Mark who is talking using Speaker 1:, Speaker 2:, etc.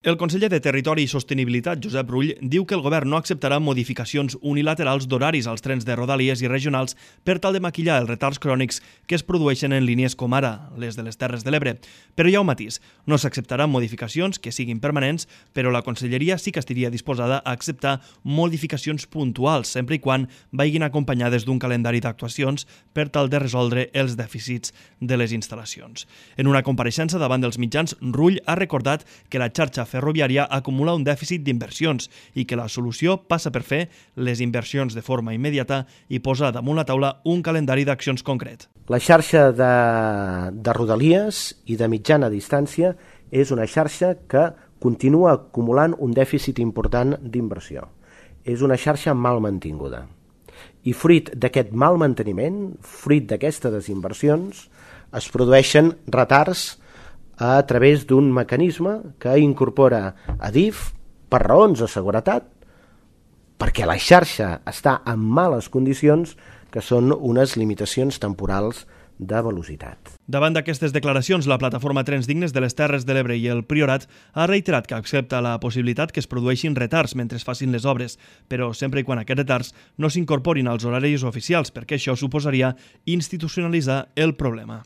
Speaker 1: El conseller de Territori i Sostenibilitat, Josep Rull, diu que el govern no acceptarà modificacions unilaterals d'horaris als trens de Rodalies i regionals per tal de maquillar els retards crònics que es produeixen en línies com ara les de les Terres de l'Ebre. Però hi ha un matís. No s'acceptaran modificacions que siguin permanents, però la Conselleria sí que estaria disposada a acceptar modificacions puntuals, sempre i quan vagin acompanyades d'un calendari d'actuacions per tal de resoldre els dèficits de les instal·lacions. En una compareixença davant dels mitjans, Rull ha recordat que la xarxa ferroviària acumula un dèficit d'inversions i que la solució passa per fer les inversions de forma immediata i posar damunt la taula un calendari d'accions concret.
Speaker 2: La xarxa de Rodalies i de mitjana distància és una xarxa que continua acumulant un dèficit important d'inversió. És una xarxa mal mantinguda. I fruit d'aquest mal manteniment, fruit d'aquestes desinversions, es produeixen retards a través d'un mecanisme que incorpora Adif per raons de seguretat, perquè la xarxa està en males condicions, que són unes limitacions temporals de velocitat.
Speaker 1: Davant d'aquestes declaracions, la plataforma Trens Dignes de les Terres de l'Ebre i el Priorat ha reiterat que accepta la possibilitat que es produeixin retards mentre es facin les obres, però sempre i quan aquests retards no s'incorporin als horaris oficials, perquè això suposaria institucionalitzar el problema.